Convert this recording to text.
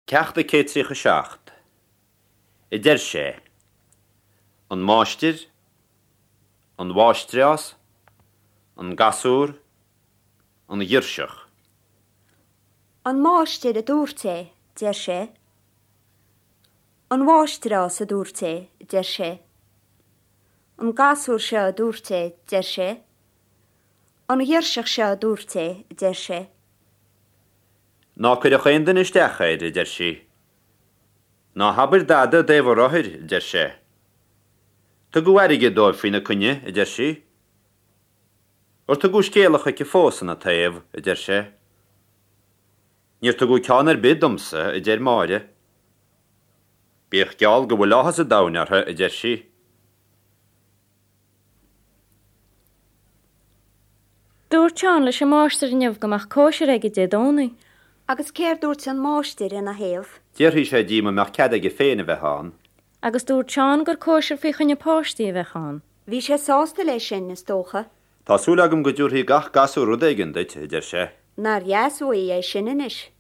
Ceacht 137. A deir sé. An máistir, an mháistreás, an gasúr, an ghirseach. An máistir a dúirt é, deir sé. An mháistreás a dúirt é, deir sé. An gasúr seo a dúirt é, deir sé. An ghirseach seo a dúirt é, deir sé. Ná cuireadh aon duine isteach air, a deir sí. Ná habair dada i dtaobh an rothair, a deir sé. Tugadh airgead dóibh faoina coinne, a deir sí. Ar tugadh scéala chuici fós ina taobh, a deir sé. Níor tugadh ceann ar bith domsa, a deir Máire. Bíodh geall go bhfuil áthas an domhain orthu, a deir sí. Dúirt Seán leis an máistir inniu go mbeadh cóisir aige Dé Domhnaigh. Agus céard dúirt an máistir ina thaobh? D'fhiafraigh sé díom an mbeadh cead aige féin a bheith ann. Agus dúirt Seán gur cóisir faoi choinne páistí a bheadh ann. Bhí sé sásta leis sin, is dócha. Tá súil agam go dtabharfaidh gach gasúr rud éigin duit, a deir sé. Nár dheas uaidh é sin anois.